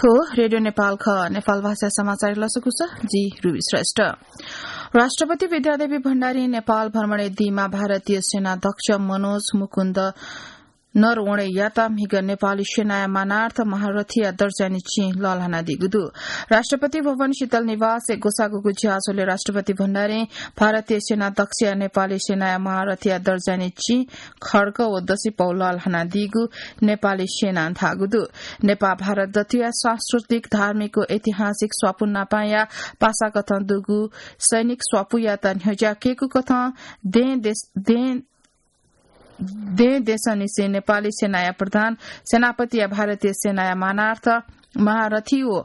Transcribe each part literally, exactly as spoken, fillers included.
को रेडियो नेपाल ख, नेपाल भाषा समाचार लसकुस, जि रुबी श्रेष्ठ। राष्ट्रपति विद्यादेवी भण्डारी नेपाल भ्रमणय् दीमा भारतीय सेना अध्यक्ष मनोज मुकुन्द नरवणेयात म्हिगः नेपाली सेनाया मानार्थ महारथीया दर्जानि चिं लःल्हानादीगु दु। राष्ट्रपति भवन शीतल निवासय् ग्वसाःगु ज्याझ्वलय् राष्ट्रपति भण्डारीं भारतीय सेना अध्यक्षया नेपाली सेनाया महारथीया दर्जानि चिं खड्ग व दसिपौ लःल्हानादीगु नेपाली सेनां धाःगु दु। नेपाः भारत दथुया सांस्कृतिक, धार्मिक व ऐतिहासिक स्वापू नापांया पासाकथं दुगु सैनिक स्वापूयात न्ह्यज्याकेगु कथं दें देश, दें दें देशंनिसें नेपाली सेनाया प्रधान सेनापतिया भारतीय सेनाया मानार्थ महारथी व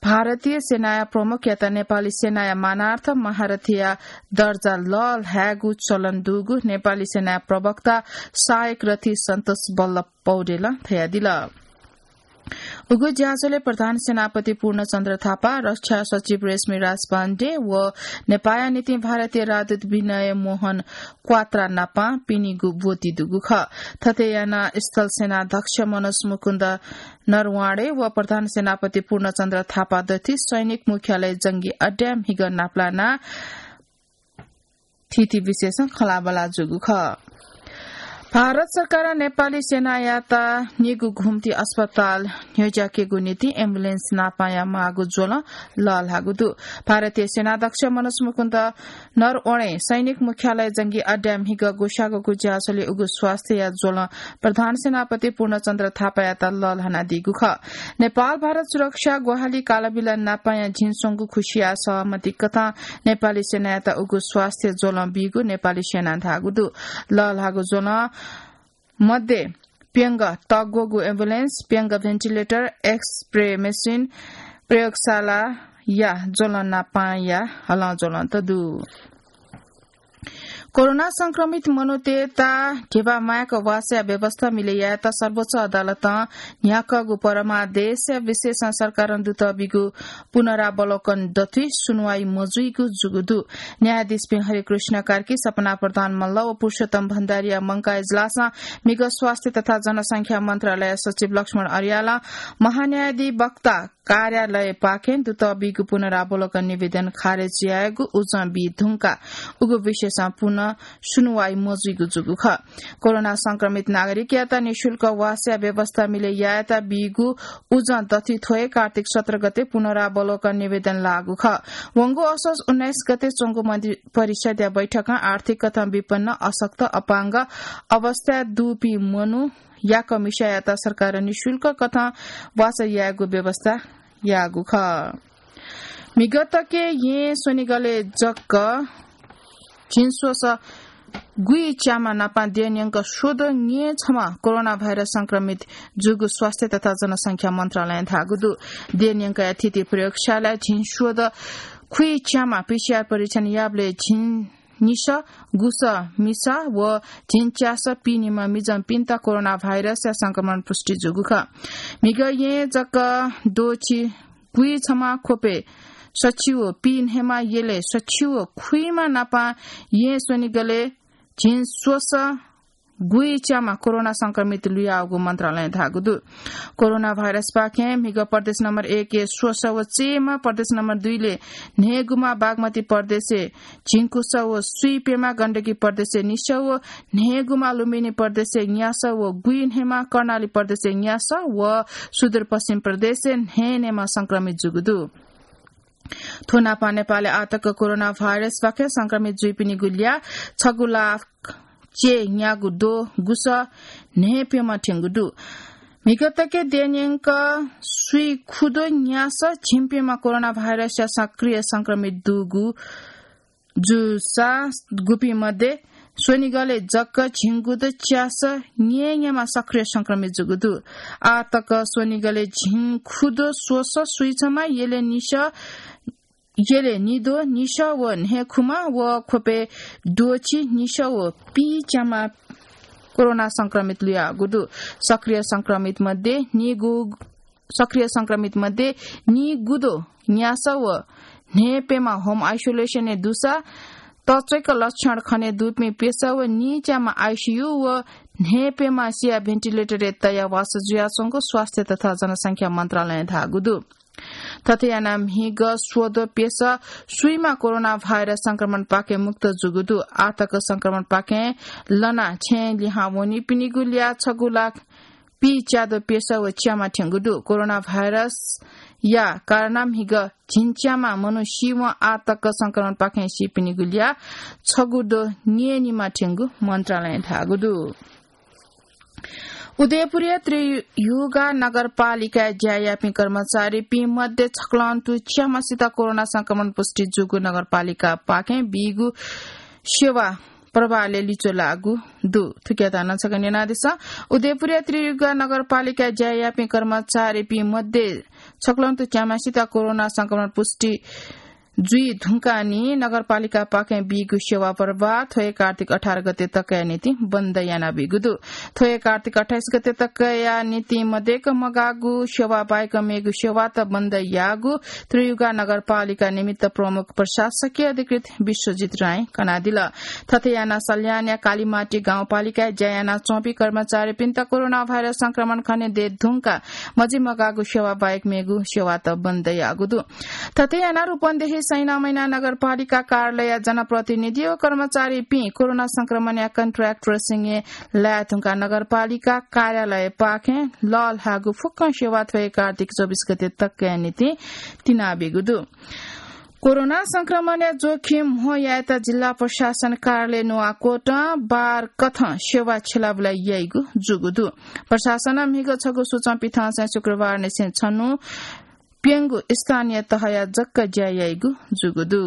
भारतीय सेनाया प्रमुखयात नेपाली सेनाया मानार्थ महारथीया दर्जा लःल्हायेगु चलन दुगु नेपाली सेनाया प्रवक्ता सहायक रथी सन्तोष बल्लभ पौडेलं धयादिल। उगु ज्याझ्वलय् प्रधान सेनापति पूर्णचन्द्र थापा, रक्षा सचिव रेशमी राज पाण्डे व नेपाःया निंतिं भारतीय राजदूत विनय मोहन क्वात्रा नापां पिनिगु ब्वति दुगु खः। थथे यानाः स्थल सेनाध्यक्ष मनोज मुकुन्द नरवाणे व प्रधान सेनापति पूर्णचन्द्र थापा दथुइ सैनिक मुख्यालय जंगी अड्डाय् म्हिगः नापलानाः थीथी विशेषं खँल्हाबल्हा जूगु खः। भारत सरकारं नेपाली सेनायात निगू घुम्ती अस्पताल न्ह्यज्याकेगु निंतिं एम्बुलेन्स नापांया माःगु ज्वलं लःल्हाःगु दु। भारतीय सेनाध्यक्ष मनोज मुकुन्द नरवणे सैनिक मुख्यालय जंगी अड्डाय् म्हिगः ग्वसाःगु ज्याझ्वलय् उगु स्वास्थ्यया ज्वलं प्रधान सेनापति पूर्णचन्द्र थापायात लःल्हानादीगु खः। नेपाल भारत सुरक्षा ग्वाहालि कालबिल नापांया झिंस्वंगू खुसिया सहमति कथं नेपाली सेनायात उगु स्वास्थ्य ज्वलं बीगु नेपाली सेनां धाःगु दु। लःल्हाःगु ज्वलं मध्ये प्यंगः तग्वःगु एम्बुलेन्स, प्यंगः भेन्टिलेटर, एक्सरे मेसिन, प्रयोगशालाया ज्वलं नापांया हलंज्वलंत दु। कोरोना संक्रमित मनूतय्‌त धिबा माय्‌क वासया व्यवस्था मिले यायेत सर्वोच्च अदालतं न्ह्याकागु परमादेशया विषयय् सरकारं दुतः बीगु पुनरावलोकन दथुइ सुनुवाइ मजुइगु जूगु दु। न्यायाधीशपिं हरिकृष्ण कार्की, सपना प्रधान मल्ल व पुरुषोत्तम भण्डारीया मंकाः इजलासं म्हिगः स्वास्थ्य तथा जनसंख्या मन्त्रालय सचिव लक्ष्मण अर्यालं महान्यायाधिवक्ता कार्यालयपाखें दुतः बीगु पुनरावलोकन निवेदन खारेज यायेगु उजं बी धुंकाः उगु विषयय् पुनः सुनुवाइ मजुइगु जूगु खः। कोरोना संक्रमित नागरिकयात निशुल्क वासया व्यवस्था मिले यायेत बीगु उजं दथुइ थ्व हे कार्तिक सत्र गते पुनरावलोकन निवेदन लाःगु खः। वंगु असोज उन्नाइस गते च्वंगु मन्त्रिपरिषदया बैठकं आर्थिक कथं विपन्न, अशक्त, अपाङ्ग अवस्थाय् दुपिं मनू याकःमिसायात सरकारं निशुल्क कथं वासः यायेगु व्यवस्था याःगु खः। म्हिगः तके येँ स्वनिगलय् जक झिंस्वसः गुइच्यामा नापं देय्‌न्यंक स्वद्वः न्यय्‌छम्ह कोरोना भाइरस संक्रमित जूगु स्वास्थ्य तथा जनसंख्या मन्त्रालयं धाःगु दु। देय्‌न्यंकया थीथी प्रयोगशालाय् झिंस्वद्वः खुइच्यामा पीसीआर परीक्षण याःबलय् झिं निसः गुसः मिसा व झिंच्यासः पीनिम्ह मिजंपिन्त कोरोना भाइरसया संक्रमण पुष्टि जूगु खः। म्हिगः येँ जक द्वःछि गुइछम्ह, ख्वपय् सछि व पीन्हय्‌म्ह, यलय् सछि व खुइम्ह नापं येँ स्वनिगलय् झिंस्वसः गुइच्यामा कोरोना संक्रमित लुयाःगु मन्त्रालयं धाःगु दु। कोरोना भाइरसपाखें म्हिगः प्रदेश नम्बर एकय् स्वसः व चय्‌म्ह, प्रदेश नम्बर दुईलय् न्हय्‌गुम्ह, बागमती प्रदेशय् झिंकुसः व स्वीप्यम्ह, गण्डकी प्रदेशय् निसः व न्हय्‌गुम्ह, लुम्बिनी प्रदेशय् न्यासः व गुइन्हय्‌म्ह, कर्णाली प्रदेशय् न्यासः व सुदूरपश्चिम प्रदेशय् न्हय्‌न्हय्‌म्ह संक्रमित जूगु दु। थ्व नापं नेपालय् आःतक कोरोना भाइरसपाखें संक्रमित जुइपिनिगु ल्याः छगू लाख च्यय् न्यागू द्वः गुसः न्हय्‌प्यम्ह थ्यंगु दु। म्हिगः तके देय्‌न्यंक स्वीखुद्वः न्यासः झिंप्यम्ह कोरोना भाइरसया सक्रिय संक्रमित दुगु जूसा गुपिं मध्ये स्वनिगलय् जक झिंगुद्वः च्यासः न्यय्‌न्यम्ह सक्रिय संक्रमित जूगु दु। आःतक स्वनिगलय् झिंखुद्वः स्वसः स्वीछम्ह, यलय् निसः यलय् निद्वः निसः व न्हय्‌खुम्ह व ख्वपय् द्वःछि निसः व पीच्याम्ह कोरोना संक्रमित लुयाःगु दु। सक्रिय संक्रमित मध्ये निगू, सक्रिय संक्रमित मध्ये निगूद्वः न्यासः व न्हय्‌प्यम्ह होम आइसोलेसनय् दुसा तच्वय्‌क लक्षण खने दुपिं प्यसः व नीच्याम्ह आइसियु व न्हय्‌प्यम्ह सिया भेन्टिलेटरय् तयाः वासः जुयाच्वंगु स्वास्थ्य तथा जनसंख्या मन्त्रालयं धाःगु दु। थथे यानाः म्हिगः स्वद्वः प्यसः स्वीम्ह कोरोना भाइरस संक्रमणपाखें मुक्त जूगु दु। आःतक संक्रमणपाखें लनाः छेँय् लिहां वनीपिनिगु ल्याः छगू लाख पीच्याद्वः प्यसः व च्याम्ह थ्यंगु दु। कोरोना भाइरसया कारणं म्हिगः झिंच्याम्ह मनू सीवं आःतक संक्रमणपाखें सीपिनिगु ल्याः छगू द्वः न्यय्‌निम्ह थ्यंगु मन्त्रालयं धाःगु दु। उदयपुरया त्रियुगा नगरपालिकाय् ज्या याःपिं कर्मचारीपिं मध्ये छकलं तुं च्याम्हसित कोरोना संक्रमण पुष्टि जूगु नगरपालिकापाखें बीगु सेवा प्रभावले लिच्वः लाःगु दु। थुकियात नं छकः न्यनादिसँ। उदयपुरया त्रियुगा नगरपालिकाय् ज्या याःपिं कर्मचारीपिं मध्ये छकलं तुं च्याम्हसित कोरोना संक्रमण पुष्टि जुइ धुंकाः नि नगरपालिकापाखें बीगु सेवा प्रभाव थ्व हे कार्तिक अठार गते तकया निंतिं बन्द यानाबीगु दु। थ्व हे कार्तिक अट्ठाइस गते तकया निंतिं मदय्‌क मगाःगु सेवा बाहेक मेगु सेवात बन्द याःगु त्रियुगा नगरपालिका निमित्त प्रमुख प्रशासकीय अधिकृत विश्वजित राईं कनादिल। थथे यानाः सल्यानया कालीमाटी गाउँपालिकाय् ज्या यानाच्वंपिं कर्मचारीपिन्त कोरोना भाइरस संक्रमण खनेदये धुंकाः मजिमगाःगु सेवा बाहेक मेगु सेवात बन्द याःगु दु। थथे यानाः रूपन्देही सैनामैना नगरपालिका कार्यालयया जनप्रतिनिधि व कर्मचारीपिं कोरोना संक्रमणया कन्ट्र्याक्ट ट्रेसिङय् लाये धुंकाः नगरपालिका कार्यालयपाखें लःल्हाःगु फुक्कं सेवा थ्व हे कार्तिक चौबिस गते तकया निंतिं तिनाबीगु दु। कोरोना संक्रमणया जोखिम म्हो यायेत जिल्ला प्रशासन कार्यालय नुवाकोटं बार कथं सेवा छ्यलाबुला याइगु जूगु दु। प्रशासनं म्हिगः छगू सूचं पिथंसें शुक्रबारनिसें छन्हु प्यंगू स्थानीय तहया जक ज्या याइगु जूगु दु।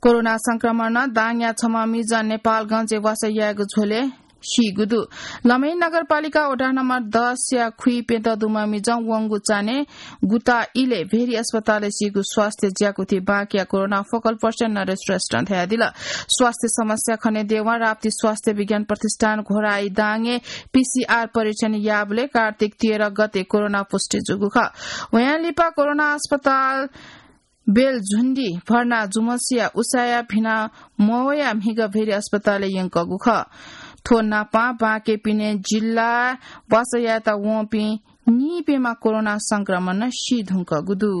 कोरोना संक्रमणं दाङया छम्ह मिजं नेपालगंजय् वासः यायेगु झ्वलय् सीगु दु। लमही नगरपालिका वडा नम्बर दसया खुइप्यदँ दुम्ह मिजं वंगु चान्हय् गुता इलय् भेरी अस्पतालय् सीगु स्वास्थ्य ज्याकुथि बाँकिया कोरोना फोकल पर्सन नरेश श्रेष्ठं धयादिल। स्वास्थ्य समस्या खनेदयेवं राप्ती स्वास्थ्य विज्ञान प्रतिष्ठान घोराई दाङय् पीसीआर परीक्षण याःबलय् कार्तिक तेह्र गते कोरोना पुष्टि जूगु खः। वयां लिपा कोरोना अस्पताल बेलझुण्डी भर्ना जुम्हसिया उसाँय् भिना मवयाः म्हिगः भेरी अस्पतालय् यंकःगु खः। थ्व नापं बाँके पिने जिल्लाय् वासः यायेत वंपिं नीप्यम्ह कोरोना संक्रमणं सी धुंकूगु दु।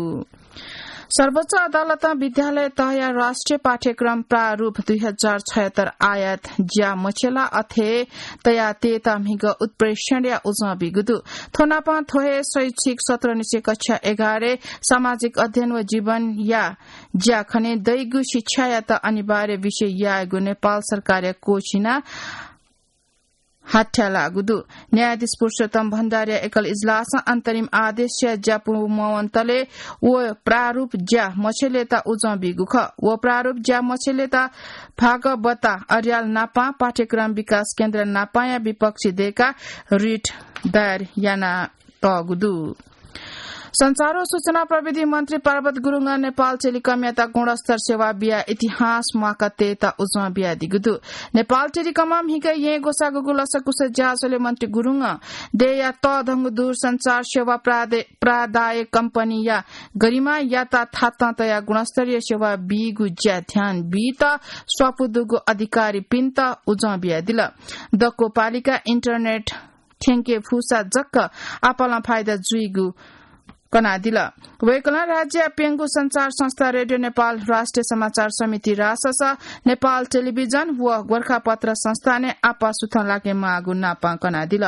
सर्वोच्च अदालतं विद्यालय तहया राष्ट्रिय पाठ्यक्रम प्रारूप दुई हजार छयत्तर आयात ज्या मछ्यला अथे तयाः तयेत म्हिगः उत्प्रेषणया उजं बीगु दु। थ्व नापं थ्व हे शैक्षिक सत्रनिसें कक्षा एघारय् सामाजिक अध्ययन व जीवनया ज्या खनेदइगु शिक्षायात अनिवार्य विषय यायेगु नेपाल सरकारया कोसिस हाथ्यालाःगु दु। न्यायाधीश पुरुषोत्तम भण्डारीया एकल इजलासं अन्तरिम आदेशया ज्या पूवंतले व प्रारूप ज्या मछ्यलेत उजं बीगु खः। व प्रारूप ज्या मछ्यलेत भागवता अर्याल नापं पाठ्यक्रम विकास केन्द्र नापंया विपक्षी दय्काः रिट दायर यानातःगु दु। सञ्चार व सूचना प्रविधि मन्त्री पार्वत गुरुङं नेपाल टेलिकमयात गुणस्तर सेवा बियाः इतिहास म्वाकातयेत उजं बियादीगु दु। नेपाल टेलिकमं म्हिगः येँ ग्वसाःगुगु लसकुस ज्याझ्वलय् मन्त्री गुरुङं देय्‌या तःधंगु दूरसञ्चार सेवा प्रादे-, प्रदायक कम्पनीया गरिमायात थातं तयाः गुणस्तरीय सेवा बीगु ज्या ध्यान बीत स्वापू दुगु अधिकारीपिन्त उजं बियादिल। दक्व पालिका इन्टरनेट थ्यंके फुसा जक आपालं फाइदा जुइगु कनादिल। वय्‌कलं राज्यया प्यंगू सञ्चार संस्था रेडियो नेपाल, राष्ट्रिय समाचार समिति रासस, नेपाल टेलिभिजन व गोरखापत्र संस्थानय् आपाः सुथं लाकेमाःगु नापं कनादिल।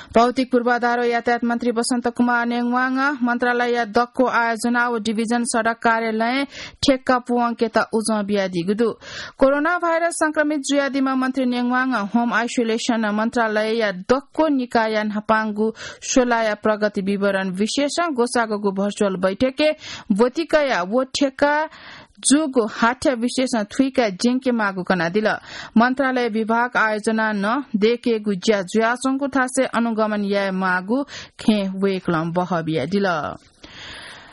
भौतिक पूर्वाधार व यातायात मन्त्री बसन्त कुमार नेङवाङं मन्त्रालयया दक्व आयोजना व डिभिजन सडक कार्यालयं ठेक्का पूवंकेत उजं बियादीगु दु। कोरोना भाइरस संक्रमित जुयादीम्ह मन्त्री नेङवाङं होम आइसोलेसन मन्त्रालयया दक्व निकायया न्हापांगु स्वलाया प्रगति विवरण विशेषं ग्वसाःगु भर्चुअल बैठकय् ब्वति कयाः व ठेक्का जूगु हाथ्या विशेषं थुइकाः ज्यंकेमाःगु कनादिल। मन्त्रालय विभाग आयोजनां नं दय्केगु ज्या जुयाच्वंगु थासय् अनुगमन यायेमाःगु खँय् वय्कलं बहः बियादिल।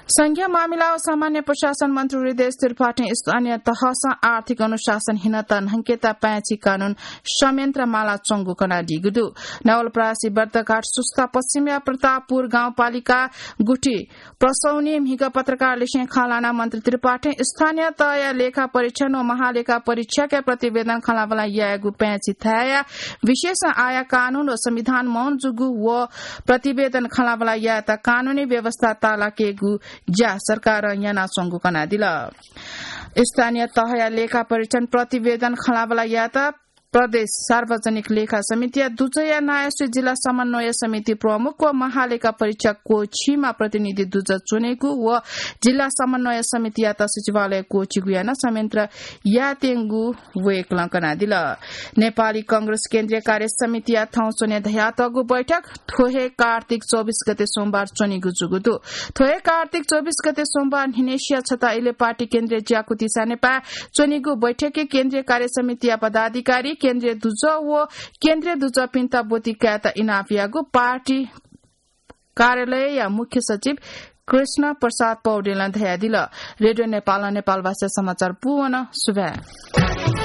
संघीय मामिला व सामान्य प्रशासन मन्त्री हृदयेश त्रिपाठीं स्थानीय तहसं आर्थिक अनुशासन हीनता न्हंकेत पाय्छि कानून संयन्त्र माला च्वंगु कनादीगु दु। नवलपरासी बर्दघाट सुस्ता पश्चिमया प्रतापपुर गाउँपालिका गुठी प्रसौनी म्हिगः पत्रकारलिसें खँ ल्हानाः मन्त्री त्रिपाठीं स्थानीय तहया लेखा परीक्षण व महालेखा परीक्षकया प्रतिवेदन खँल्हाबल्हा यायेगु पाय्छि थाय्‌या विशेष आया कानून व संविधान मौन जूगु व प्रतिवेदन खँल्हाबल्हा यायेत कानूनी व्यवस्था तालाकेगु ज्या सरकारं यानाच्वंगु कनादिल। स्थानीय तहया लेखा परीक्षण प्रतिवेदन खँल्हाबल्हा यायेत प्रदेश सार्वजनिक लेखा समितिया दुजःया नायःसुइ जिल्ला समन्वय समिति प्रमुख व महालेखा परीक्षक कोछिमा प्रतिनिधि दुजः च्वनेगु व जिल्ला समन्वय समितियात सचिवालय कोछिगु यानाः संयन्त्र यायेत्यंगु वय्‌कलं कनादिल। नेपाली कांग्रेस केन्द्रीय कार्य समितिया थौं स्वन्हु धयातःगु बैठक थ्व हे कार्तिक चौबिस गते सोमबार च्वनीगु जूगु दु। थ्व हे कार्तिक चौबिस गते सोमबार न्हिनेसिया छता इले पार्टी केन्द्रीय ज्याकुथि सानेपाय् च्वनीगु बैठकय् केन्द्रीय कार्य समितिया पदाधिकारी, केन्द्रीय दुजः व केन्द्रीय दुजःपिन्त ब्वति कायेत इनाप याःगु पार्टी कार्यालयया मुख्य सचिव कृष्ण प्रसाद पौडेलं धयादिल। रेडियो नेपालं नेपालभाषा समाचार पूवन। सुभाय्।